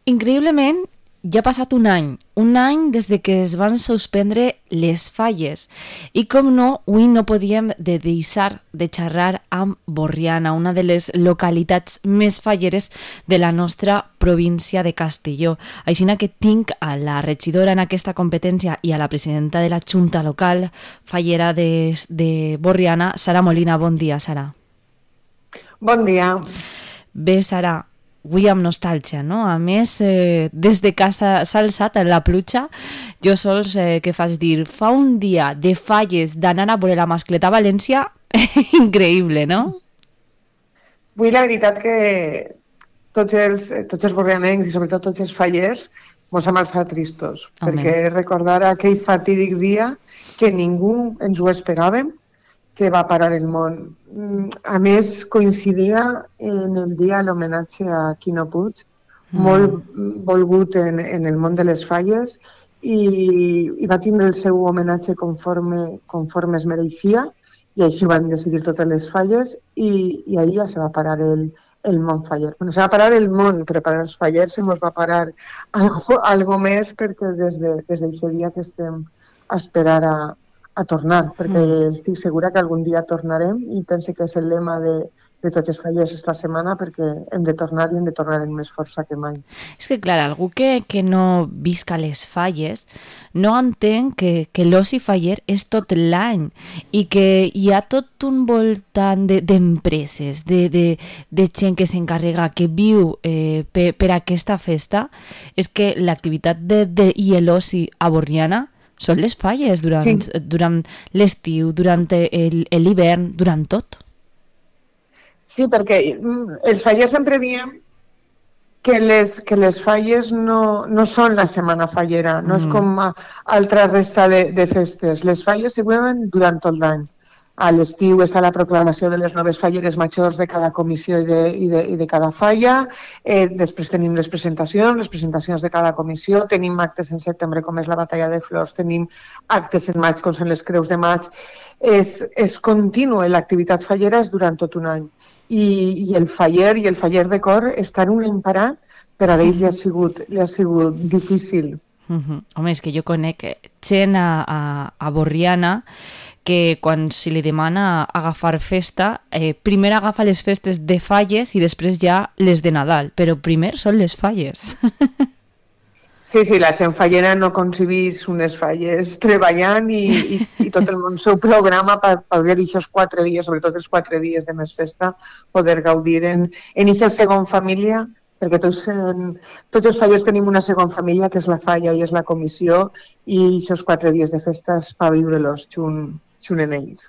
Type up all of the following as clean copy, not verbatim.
Increïblement, ja ha passat un any des de que es van suspendre les falles. I com no, avui no podíem deixar de xerrar amb Borriana, una de les localitats més falleres de la nostra província de Castelló. Així que tinc a la regidora en aquesta competència i a la presidenta de la Junta Local fallera de Borriana, Sara Molina. Bon dia, Sara. Bon dia. Bé, Sara, avui amb nostàlgia, no? A més, des de casa s'ha alçat la pluja. Jo sols, què fas dir? Fa un dia de falles d'anar a veure la mascleta a València, increïble, no? Avui la veritat que tots els borrianencs i sobretot tots els fallers mos hem alçat tristos, perquè recordar aquell fatídic dia que ningú ens ho esperàvem, que va parar el món. A més, coincidia en el dia l'homenatge a Quino Puig, molt volgut en el món de les falles, i va tindre el seu homenatge conforme es mereixia, i així van decidir totes les falles, i ahir ja se va parar el món faller. Bueno, se va parar el món, però per als fallers se mos va parar algo més, perquè des d'aquest dia que estem a esperar a tornar, perquè estic segura que algun dia tornarem, i penso que és el lema de tots els fallers esta setmana, perquè hem de tornar i hem de tornar amb més força que mai. És que, clar, algú que no visca les falles no entén que l'oci faller és tot l'any i que hi ha tot un voltant d'empreses, de gent que s'encarrega, que viu per aquesta festa. És que l'activitat i l'oci a Borriana són les falles durant l'estiu, durant l'hivern, durant tot. Sí, perquè els fallers sempre diem que les falles no són la setmana fallera, no és com altra resta de festes. Les falles se veuen durant tot l'any. A l'estiu està la proclamació de les noves falleres majors de cada comissió i de cada falla. Després tenim les presentacions de cada comissió. Tenim actes en setembre, com és la batalla de flors. Tenim actes en maig, com són les creus de maig. És continu, l'activitat fallera és durant tot un any. I el faller de cor estar un any parat, per a ell li ha sigut difícil. Home, és que jo conec gent a Borriana que quan se li demana agafar festa, primer agafa les festes de falles i després ja les de Nadal, però primer són les falles. Sí, la gent fallera no concebís unes falles treballant i tot el món seu programa per poder aquests 4 dies, sobretot els 4 dies de més festa, poder gaudir en aquesta segona família, perquè tots els fallers tenim una segona família, que és la falla i és la comissió, i aquests 4 dies de festa és per viure-los junt en ells.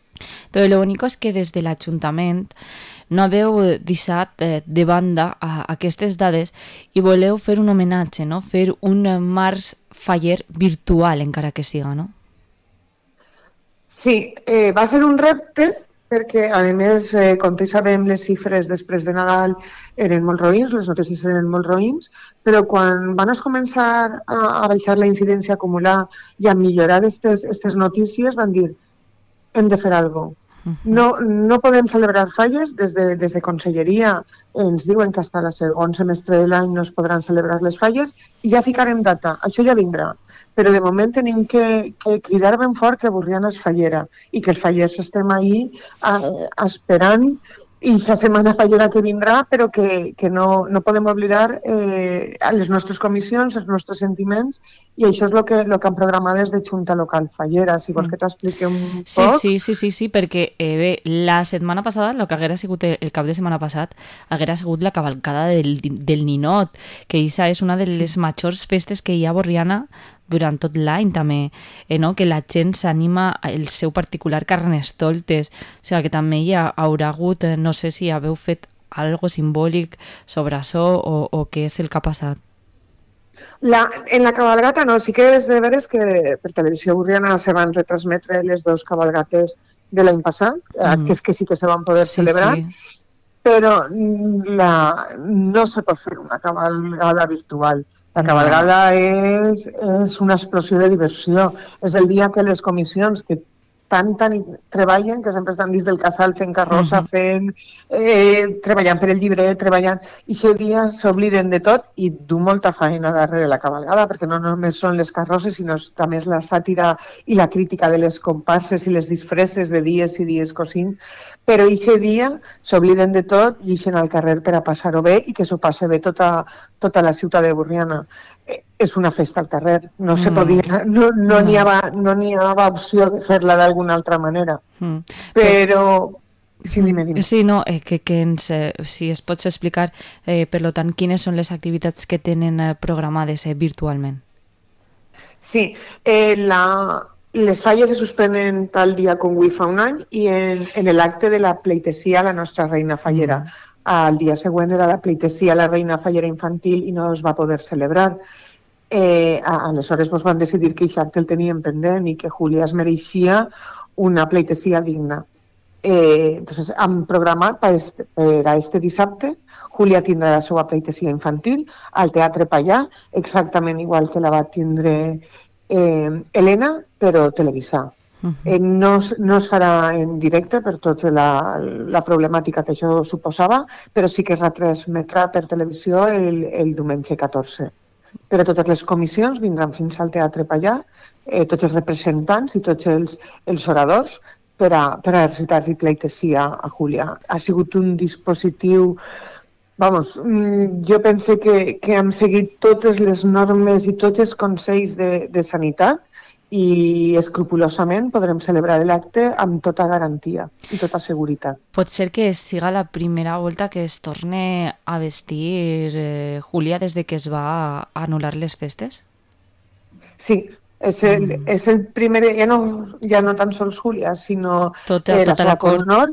Però lo únic és que des de l'Ajuntament no haveu deixat de banda aquestes dades i voleu fer un homenatge, no? Fer un març faller virtual, encara que siga, no? Sí, va ser un repte, perquè, a més, com tots sabem, les xifres després de Nadal eren molt roïns, les notícies eren molt roïns, però quan van començar a baixar la incidència acumular i a millorar aquestes notícies, van dir: hem de fer alguna cosa. No podem celebrar falles. Des de Conselleria ens diuen que fins al segon semestre de l'any no es podran celebrar les falles i ja ficarem data. Això ja vindrà. Però de moment tenim que cridar ben fort que Borriana és fallera i que els fallers estem ahí esperant i la setmana fallera que vindrà, però que no podem oblidar les nostres comissions, els nostres sentiments, i això és el que han programat des de Junta Local Fallera. Si vols que t'expliqui un poc... Sí, perquè bé, la setmana passada, el que haguera sigut el cap de setmana passat, haguera sigut la cavalcada del Ninot, que aquesta és una de les majors festes que hi ha a Borriana durant tot l'any també, no? Que la gent s'anima el seu particular carnestoltes, o sigui que també hi haurà hagut, no sé si haveu fet algo simbòlic sobre això o què és el que ha passat. En la cabalgata no, sí que és de veres que per Televisió Borriana se van retransmetre les 2 cabalgates de l'any passat, que sí que se van poder celebrar, però no se pot fer una cabalgada virtual. La cabalgada és una explosió de diversió. És el dia que les comissions, que treballen, que sempre estan dins del casal fent carrossa, treballant per el llibret, treballant, i aquest dia s'obliden de tot i du molta feina darrere la cabalgada, perquè no només són les carrosses, sinó també és la sàtira i la crítica de les comparses i les disfresses de dies i dies cosint, però aquest dia s'obliden de tot i ixen al carrer per a passar-ho bé i que s'ho passe bé tota la ciutat de Borriana. És una festa al carrer, no se podia, no n'hi havia opció de fer-la d'alguna altra manera, però... Sí, dime. Sí, no, si es pots explicar, per tant, quines són les activitats que tenen programades virtualment. Sí, les falles se suspenen tal dia com avui fa un any i en l'acte de la pleitesía a la nostra reina fallera. El dia següent era la pleitesía a la reina fallera infantil i no es va poder celebrar. Aleshores van decidir que aquest acte el tenien pendent i que Júlia es mereixia una pleitesía digna. Entonces han programat per a este dissabte. Júlia tindrà la seva pleitesía infantil al Teatre Pallà, exactament igual que la va tindre Helena, però televisar. No es farà en directe per tota la problemàtica que això suposava, però sí que es retransmetrà per televisió el diumenge 14. Però totes les comissions vindran fins al Teatre Pallà, tots els representants i tots els oradors per a recitar-li pleitesía a Júlia. Ha sigut un dispositiu... jo penso que hem seguit totes les normes i tots els consells de sanitat i escrupulosament podrem celebrar l'acte amb tota garantia i tota seguretat. Pot ser que siga la primera volta que es torne a vestir Júlia des de que es va anul·lar les festes? Sí, és el primer, ja no tan sols Júlia, sinó tota la seva cort. Nord.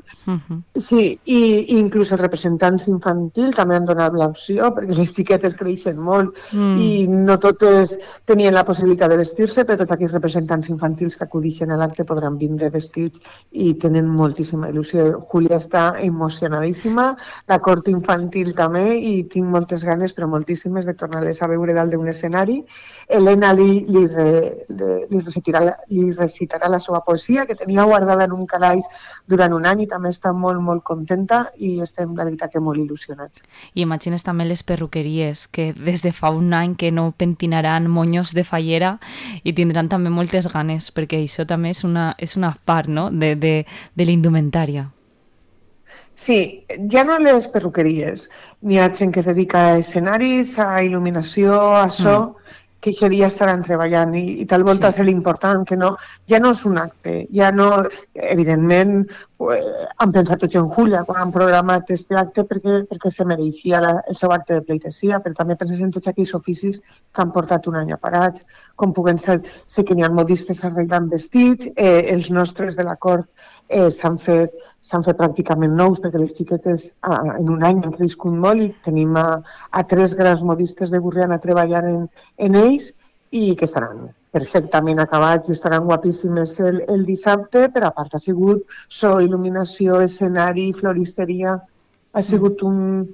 Sí, i inclús els representants infantils també han donat l'opció, perquè les xiquetes creixen molt i no totes tenien la possibilitat de vestir-se, però tots aquells representants infantils que acudixen a l'acte podran vindre vestits i tenen moltíssima il·lusió. Júlia està emocionadíssima, la cort infantil també, i tinc moltes ganes, però moltíssimes, de tornar-les a veure dalt d'un escenari. Helena li recitarà la seva poesia, que tenia guardada en un calaix durant un any, i també està molt, molt contenta i estem, la veritat, que molt il·lusionats. I imagines també les perruqueries, que des de fa un any que no pentinaran monyos de fallera i tindran també moltes ganes, perquè això també és una part, no?, de la indumentària. Sí, ja no les perruqueries. N'hi ha gent que es dedica a escenaris, a il·luminació, a so, que aquest dia estaran treballant i tal volta és l'important, que ja no és un acte, ja no, evidentment han pensat tots en Júlia quan han programat aquest acte perquè se mereixia el seu acte de pleitesía, però també penses en tots aquells oficis que han portat un any aparats, com puguen ser, sé que n'hi ha modistes arreglant vestits, els nostres de la cort s'han fet pràcticament nous perquè les xiquetes en un any han crescut molt i tenim a 3 grans modistes de Borriana treballant en ells i que estaran perfectament acabats i estaran guapíssimes el dissabte, però a part ha sigut so, il·luminació, escenari, floristeria, ha sigut un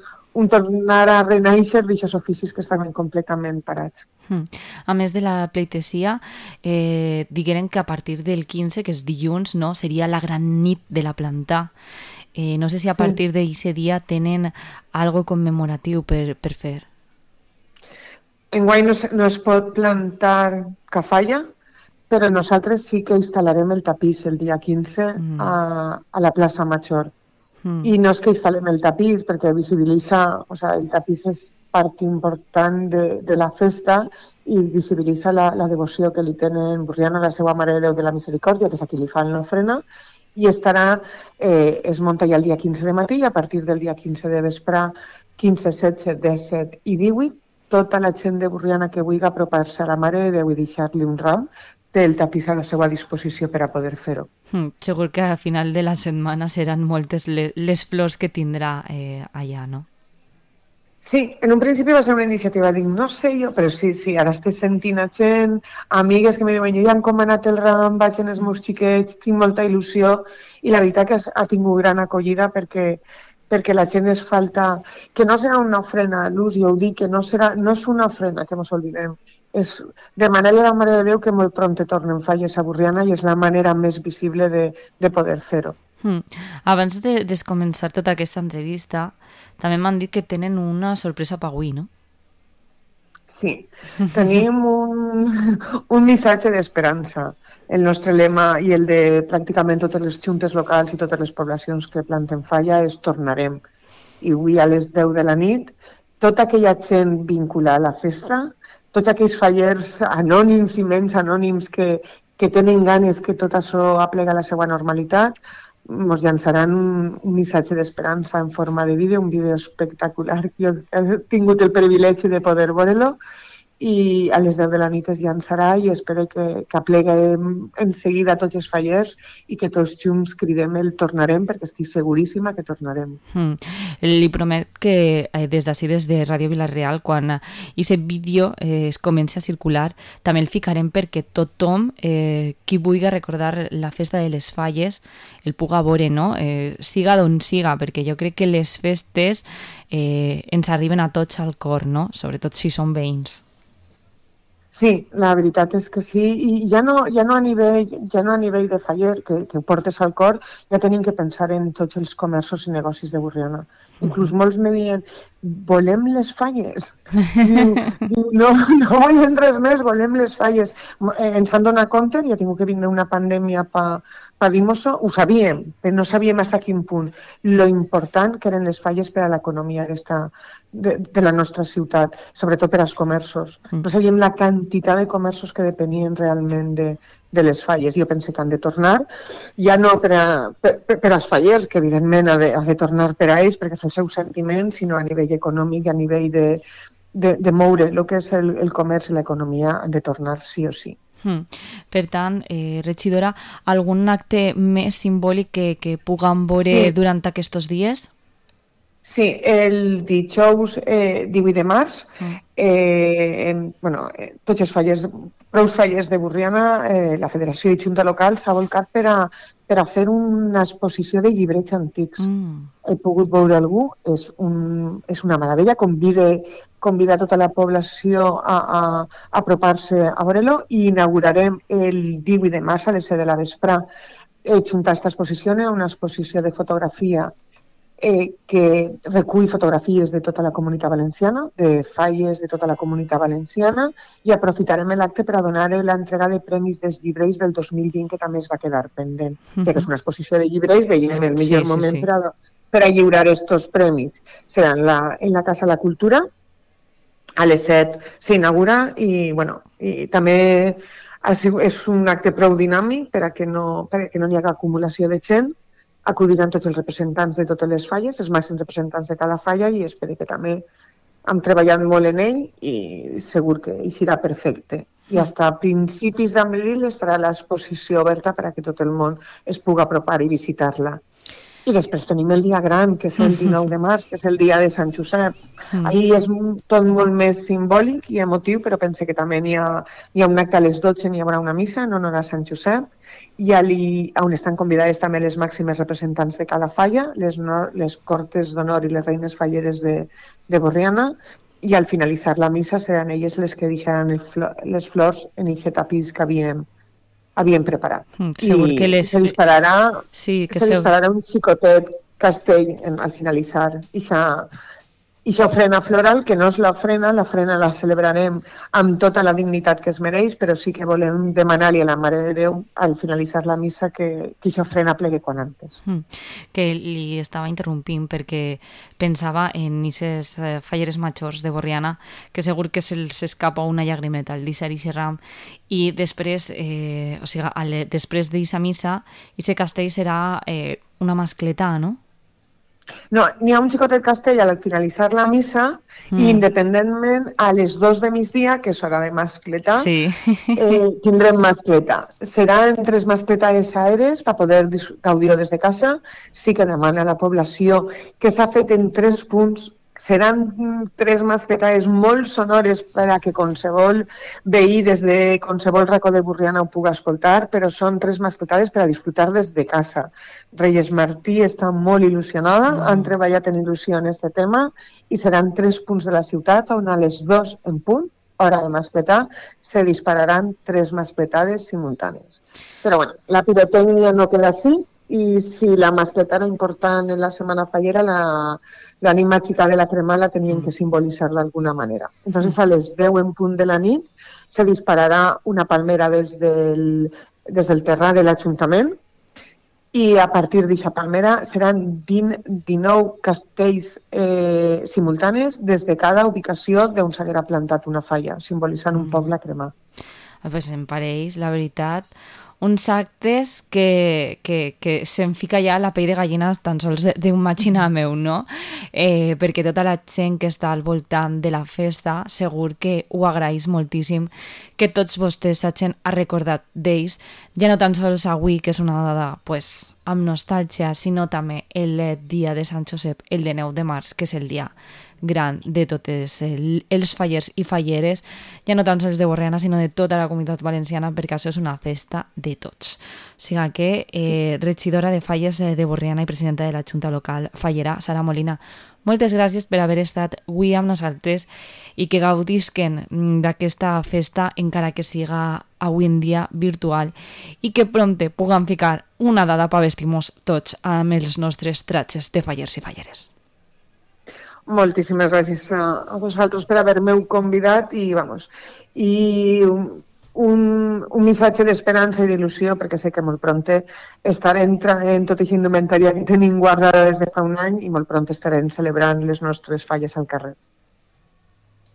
tornar a renaixer d'aquests oficis que estaven completament parats. A més de la pleitesía, digueren que a partir del 15, que és dilluns, no, seria la gran nit de la planta. No sé si a partir d'aquest dia tenen algo commemoratiu per fer. Enguany no es pot plantar cafalla, però nosaltres sí que instal·larem el tapís el dia 15 a la plaça Major. I no és que instal·lem el tapís perquè visibilitza, el tapís és part important de la festa i visibilitza la devoció que li tenen Borriana a la seva Mare de Déu de la Misericòrdia, que és a qui li fan l'ofrena, i es munta ja el dia 15 de matí i a partir del dia 15 de vespre, 15, 16, 17 i 18, tota la gent de Borriana que vulgui apropar-se a la Mare de Déu i deixar-li un ram, té el tapís a la seva disposició per a poder fer-ho. Segur que a final de la setmana seran moltes les flors que tindrà allà, no? Sí, en un principi va ser una iniciativa, dic, no sé jo, però sí, ara estic sentint a gent, amigues que me diuen, jo ja he encomanat el ram, vaig en els meus xiquets, tinc molta il·lusió, i la veritat que ha tingut gran acollida perquè perquè la gent es falta, que no serà una ofrena a l'ús, i ho dic, que no és una ofrena, que ens oblidem, és demanar-li a la Mare de Déu que molt pront tornen falles a Borriana i és la manera més visible de poder fer-ho. Abans de començar tota aquesta entrevista, també m'han dit que tenen una sorpresa per avui, no? Sí, tenim un missatge d'esperança. El nostre lema i el de pràcticament totes les juntes locals i totes les poblacions que planten falla és tornarem. I avui a les 10 de la nit, tota aquella gent vinculada a la festa, tots aquells fallers anònims i menys anònims que tenen ganes que tot això aplega a la seva normalitat, ens llançaran un missatge d'esperança en forma de vídeo, un vídeo espectacular. Jo he tingut el privilegi de poder veure-lo i a les 10 de la nit es llançarà i espero que apleguem en seguida tots els fallers i que tots junts cridem el tornarem, perquè estic seguríssima que tornarem. Li promet que des d'ací, des de Ràdio Vila-real, quan aquest vídeo es comença a circular, també el ficarem perquè tothom qui vulgui recordar la festa de les falles el puga veure, no? Siga d'on siga, perquè jo crec que les festes ens arriben a tots al cor, no? Sobretot si són veïns. Sí, la veritat és que sí, i ja no a nivell de faller, que ho portes al cor, ja tenim que pensar en tots els comerços i negocis de Borriana. Inclús molts me diuen, volem les falles. Diu, no volem res més, volem les falles. Ens han donat compte, ja ha tingut que vindre una pandèmia per dir-nos-ho, ho sabíem, però no sabíem fins a quin punt. Lo important que eren les falles per a l'economia de la nostra ciutat, sobretot per als comerços. No sabíem la quantitat de comerços que depenien realment de les falles. Jo penso que han de tornar, ja no per als fallers, que evidentment ha de tornar per a ells, perquè és el seu sentiment, sinó a nivell econòmic, a nivell de moure el que és el comerç i l'economia, han de tornar sí o sí. Per tant, regidora, algun acte més simbòlic que puguem veure durant aquests dies? Sí, el dijous 18 de març, tots els fallers, prou fallers de Borriana, la Federació i Junta Local s'ha volcat per a fer una exposició de llibrets antics. He pogut veure algú, és una meravella, convida tota la població a apropar-se a veure-lo i inaugurarem el 18 de març a les 7 de la vesprà. He juntat aquesta exposició a una exposició de fotografia que recull fotografies de tota la Comunitat Valenciana, de falles de tota la Comunitat Valenciana, i aprofitarem l'acte per a donar l'entrega de premis dels llibres del 2020, que també es va quedar pendent. Ja que és una exposició de llibres, veiem el millor moment per a lliurar aquests premis. Serà en la Casa de la Cultura, a les 7 s'inaugura i també és un acte prou dinàmic perquè no hi hagi acumulació de gent. Acudiran tots els representants de totes les falles, els màxims representants de cada falla, i espero que també hem treballat molt en ell i segur que hi serà perfecte. I fins a principis d'abril estarà l'exposició oberta per a que tot el món es pugui apropar i visitar-la. I després tenim el dia gran, que és el 19 de març, que és el dia de Sant Josep. Ahir és tot molt més simbòlic i emotiu, però pense que també hi ha un acte a les 12, hi haurà una missa en honor a Sant Josep, i on estan convidades també les màximes representants de cada falla, les cortes d'honor i les reines falleres de Borriana, i al finalitzar la missa seran elles les que deixaran les flors en aquest tapís que havíem preparat. Segur que se li pararà un xicotet castell al finalitzar. I això ofrena floral, que no és l'ofrena la celebrarem amb tota la dignitat que es mereix, però sí que volem demanar-li a la Mare de Déu al finalitzar la missa que això ofrena plegue quan antes. Que li estava interrompint perquè pensava en aquestes falleres majors de Borriana, que segur que se'ls escapa una llagrimeta al deixar aquest ram, i després, després d'aquesta missa, aquest castell serà una mascletà, no? No, n'hi ha un xicotet castell al finalitzar la missa i independentment a les 2 de migdia, que és hora de mascletar, tindrem mascleta. Seran 3 mascletades aèries per poder gaudir-ho des de casa. Sí que demana a la població que s'ha fet en 3 punts Seran 3 mascletades molt sonores per a que qualsevol veí des de qualsevol racó de Borriana ho pugui escoltar, però són 3 mascletades per a disfrutar des de casa. Reyes Martí està molt il·lusionada, han treballat en il·lusió en aquest tema i seran 3 punts de la ciutat on a les 2 en punt, hora de mascletar, se dispararan 3 mascletades simultànies. Però bueno, la pirotècnia no queda així, i si la mascleta era important en la Setmana Fallera, l'ànima xica de la crema la tenien que simbolitzar d'alguna manera. Entonces, a les 10 en punt de la nit se dispararà una palmera des del terrat de l'Ajuntament i a partir d'aquesta palmera seran 19 castells simultanis des de cada ubicació d'on s'haguera plantat una falla, simbolitzant un poc la crema. Pues em pareix, la veritat, uns actes que se'm fica ja la pell de gallina tan sols d'imaginar meu, no? Perquè tota la gent que està al voltant de la festa segur que ho agraeix moltíssim que tots vostès s'hagin recordat d'ells, ja no tan sols avui, que és una dada pues, amb nostàlgia, sinó també el dia de Sant Josep, el de 9 de març, que és el dia gran de tots els fallers i falleres, ja no tan sols de Borriana, sinó de tota la comunitat valenciana, perquè això és una festa de tots. O sigui que, regidora de Falles de Borriana i presidenta de la Junta Local Fallera, Sara Molina, moltes gràcies per haver estat avui amb nosaltres i que gaudisquen d'aquesta festa, encara que siga avui en dia virtual, i que prompte puguem ficar una dada per vestir-nos tots amb els nostres tratges de fallers i falleres. Moltíssimes gràcies a vosaltres per haver-me convidat i un missatge d'esperança i d'il·lusió, perquè sé que molt prompte estarem en tota aquesta indumentària que tenim guardada des de fa un any i molt prompte estarem celebrant les nostres falles al carrer.